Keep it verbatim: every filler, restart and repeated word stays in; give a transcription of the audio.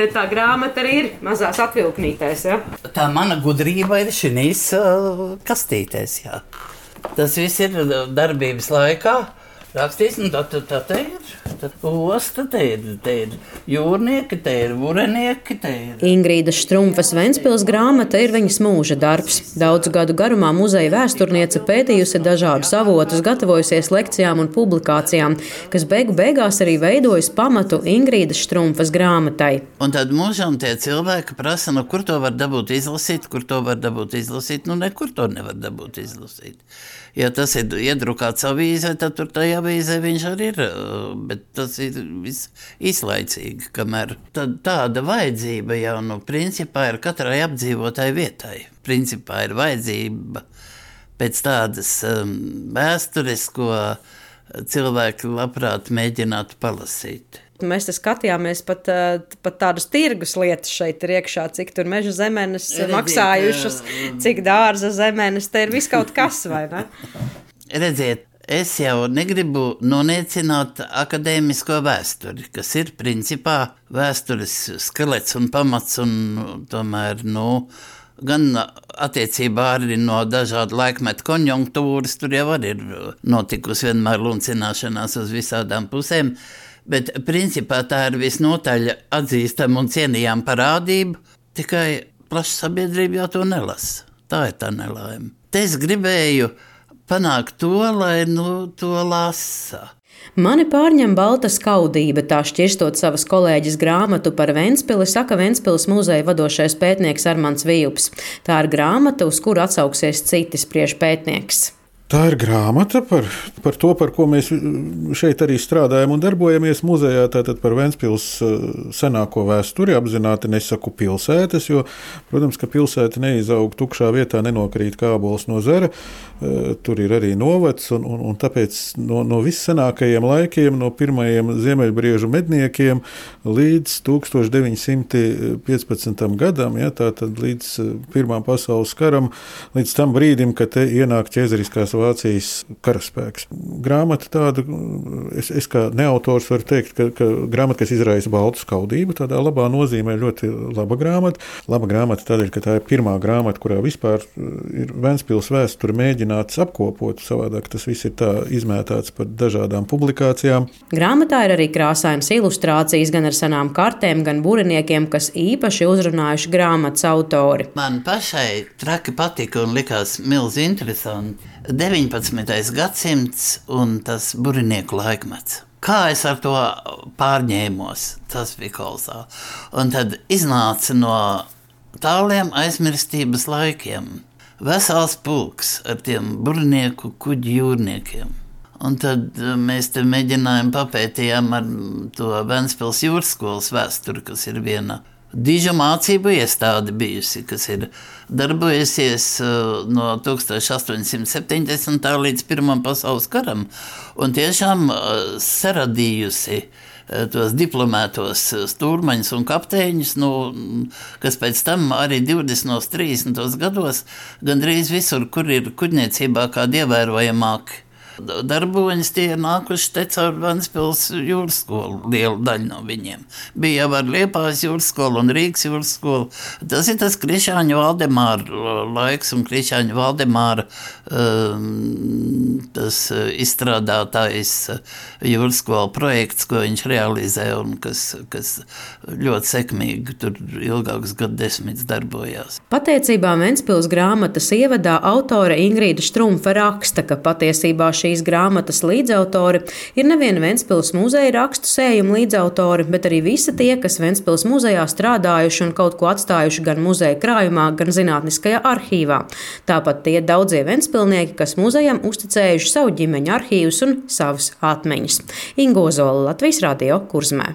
te tā grāmata arī ir mazās atvilknītēs, ja? Tā mana gudrība ir šīs uh, kastītēs, jā. Tas viss ir darbības laikā. Rakstīs, un tā, tā, tā te ir, tā osta, te ir, te ir jūrnieki, te ir vurenieki, te ir... Ingrīdas Štrumfas Ventspils grāmata ir viņas mūža darbs. Daudzu gadu garumā muzeja vēsturniece pētījusi dažādus avotus, gatavojusies lekcijām un publikācijām, kas beigu beigās arī veidojas pamatu Ingrīdas Štrumfas grāmatai. Un tad mūžam tie cilvēki prasa, nu kur to var dabūt izlasīt, kur to var dabūt izlasīt, nu nekur to nevar dabūt izlasīt. Ja tas ir iedrukāts avīzē, tad tur tajā avīzē viņš arī ir, bet tas ir viss īslaicīgi, kamēr tad tāda vajadzība jau, nu, principā ir katrai apdzīvotai vietai. Principā ir vajadzība pēc tādas um, vēstures, ko cilvēki labprāt mēģinātu palasīt. Mēs te skatījāmies pat, pat tādus tirgus lietas šeit ir iekšā, cik tur meža zemenes Redziet, maksājušas, cik dārza zemenes, te ir viss kaut kas, vai ne? Redziet, es jau negribu noniecināt akadēmisko vēsturi, kas ir principā vēstures skelets un pamats un tomēr, nu, gan attiecībā arī no dažādu laikmetu konjunktūras, tur jau arī ir notikusi vienmēr luncināšanās uz visādām pusēm, bet principā tā ir visnotaļ atzīstama un cienījama parādība, tikai plaša sabiedrība jau to nelasa. Tā ir tā nelaime. Te es gribēju panākt to, lai nu, to lasa. Mani pārņem balta skaudība, tā šķirstot savas kolēģis grāmatu par Ventspili, saka Ventspils muzeja vadošais pētnieks Armands Vijups. Tā ir grāmata, uz kuru atsauksies citi spriež pētnieks. Tā ir grāmata par, par to, par ko mēs šeit arī strādājam un darbojamies muzejā, tātad par Ventspils senāko vēsturi, apzināti nesaku pilsētas, jo, protams, ka pilsēta neizaug tukšā vietā, nenokrīt kā ābols no zara, tur ir arī novads, un, un, un tāpēc no, no vissenākajiem laikiem, no pirmajiem ziemeļbriežu medniekiem līdz tūkstoš deviņi simti piecpadsmitam gadam, ja, tātad līdz Pirmā pasaules karam, līdz tam brīdim, kad te ienāk ķēzariskās Vācijas karaspēks. Grāmata tāda, es, es kā neautors varu teikt, ka, ka grāmata, kas izraisa baltu skaudību, tādā labā nozīmē ļoti laba grāmata. Laba grāmata tādēļ, ka tā ir pirmā grāmata, kurā vispār ir Ventspils vēsture mēģināts apkopot, savādāk tas viss ir tā izmētāts par dažādām publikācijām. Grāmatā ir arī krāsainas ilustrācijas gan ar senām kartēm, gan buriniekiem, kas īpaši uzrunājuši grāmatas autori. Man pašai traki patika un likās milzi interesanti. deviņpadsmitais gadsimts un tas burinieku laikmets. Kā es ar to pārņēmos, tas bija kolosāli. Un tad iznāca no tāliem aizmirstības laikiem vesels pulks ar tiem burinieku kuģu jūrniekiem. Un tad mēs te mēģinājām papētījām ar to Ventspils jūras skolas vēsturi, kas ir viena dižu mācību iestāde bijusi, kas ir darbojusies no tūkstoš astoņsimt septiņdesmitā līdz Pirmam pasaules karam un tiešām saradījusi tos diplomētos stūrmaņus un kapteiņus, nu, kas pēc tam arī divdesmitos, trīsdesmitos gados gandrīz visur, kur ir kuģniecībā kādi ievērojamāki darboņas, tie ir nākuši te caur Ventspils jūras skolu, liela daļa no viņiem. Bija jau ar Liepājas jūras skolu un Rīgas jūras skolu. Tas ir tas Krišāņa Valdemāra laiks un Krišāņa Valdemāra um, tas izstrādātājs jūras skolu projekts, ko viņš realizē un kas, kas ļoti sekmīgi tur ilgākus gadu desmitus darbojās. Pateicībā Ventspils grāmatas ievadā autore Ingrīda Štrumfa raksta, ka patiesībā šīs grāmatas līdzautori ir nevien Ventspils muzeja rakstu sējumu līdzautori, bet arī visi tie, kas Ventspils muzejā strādājuši un kaut ko atstājuši gan muzeja krājumā, gan zinātniskajā arhīvā. Tāpat tie daudzie ventspilnieki, kas muzejam uzticējuši savu ģimeņu arhīvus un savas atmiņas. Inga Ozola, Latvijas Radio, Kurzmē.